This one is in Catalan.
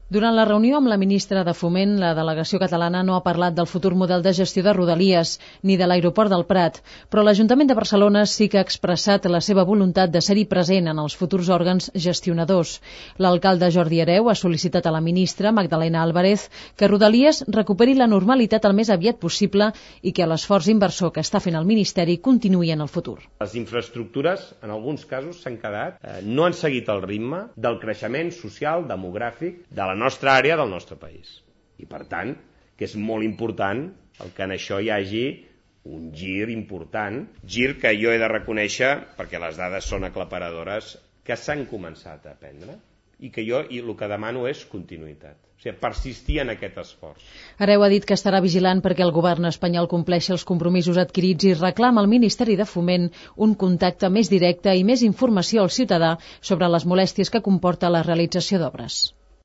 Durant la reunió amb la ministra de Foment, la delegació catalana no ha parlat del futur model de gestió de Rodalies ni de l'aeroport del Prat, però l'Ajuntament de Barcelona sí que ha expressat la seva voluntat de ser-hi present en els futurs òrgans gestionadors. L'alcalde Jordi Hereu ha sol·licitat a la ministra, Magdalena Álvarez, que Rodalies recuperi la normalitat el més aviat possible i que l'esforç inversor que està fent el Ministeri continuï en el futur. Les infraestructures, en alguns casos, s'han quedat, no han seguit el ritme del creixement social, demogràfic, de la nostra àrea del nostre país. I per tant, que és molt important el que en això hi hagi un gir important, gir que jo he de reconèixer, perquè les dades són aclaparadores, que s'han començat a prendre i que jo el que demano és continuïtat. O sigui, persistir en aquest esforç. Hereu ha dit que estarà vigilant perquè el govern espanyol compleixi els compromisos adquirits i reclama al Ministeri de Foment un contacte més directe i més informació al ciutadà sobre les molèsties que comporta la realització d'obres.